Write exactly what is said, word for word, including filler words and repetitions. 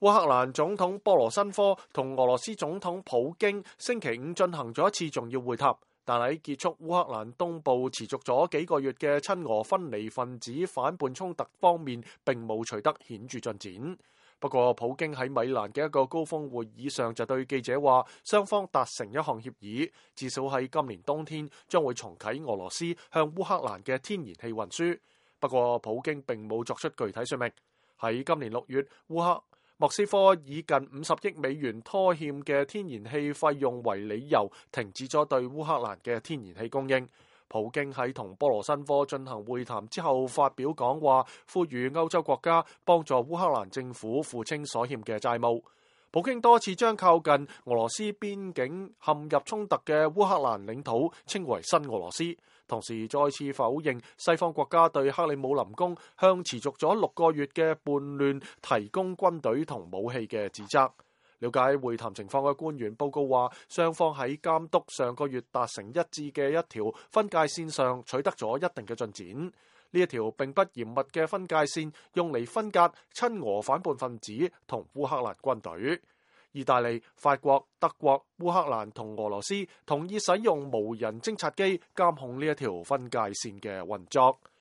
烏克蘭總統波羅申科同俄羅斯總統普京星期五進行咗一次重要會談，但喺結束烏克蘭東部持續咗幾個月嘅親俄分離分子反叛衝突方面，並冇取得顯著進展。不過，普京喺米蘭嘅一個高峰會議上就對記者話，雙方達成一項協議，至少喺今年冬天將會重啟俄羅斯向烏克蘭嘅天然氣運輸。不過，普京並冇作出具體說明。喺今年六月，烏克莫斯科以近五十億美元拖欠嘅天然氣費用為理由，停止咗對烏克蘭嘅天然氣供應。普京喺同波羅申科進行會談之後發表講話，呼籲歐洲國家幫助烏克蘭政府付清所欠嘅債務。普京多次將靠近俄羅斯邊境陷入衝突嘅烏克蘭領土稱為新俄羅斯，同時再次否認西方國家對克里姆林宮向持續咗六個月嘅叛亂提供軍隊同武器嘅指責。了解會談情況嘅官員報告話，雙方喺監督上個月達成一致嘅一條分界線上取得咗一定嘅進展。呢一條並不嚴密嘅分界線用嚟分隔親俄反叛分子同烏克蘭軍隊。意大利、法國、德國、烏克蘭同俄羅斯同意使用無人偵察機監控呢一條分界線嘅運作。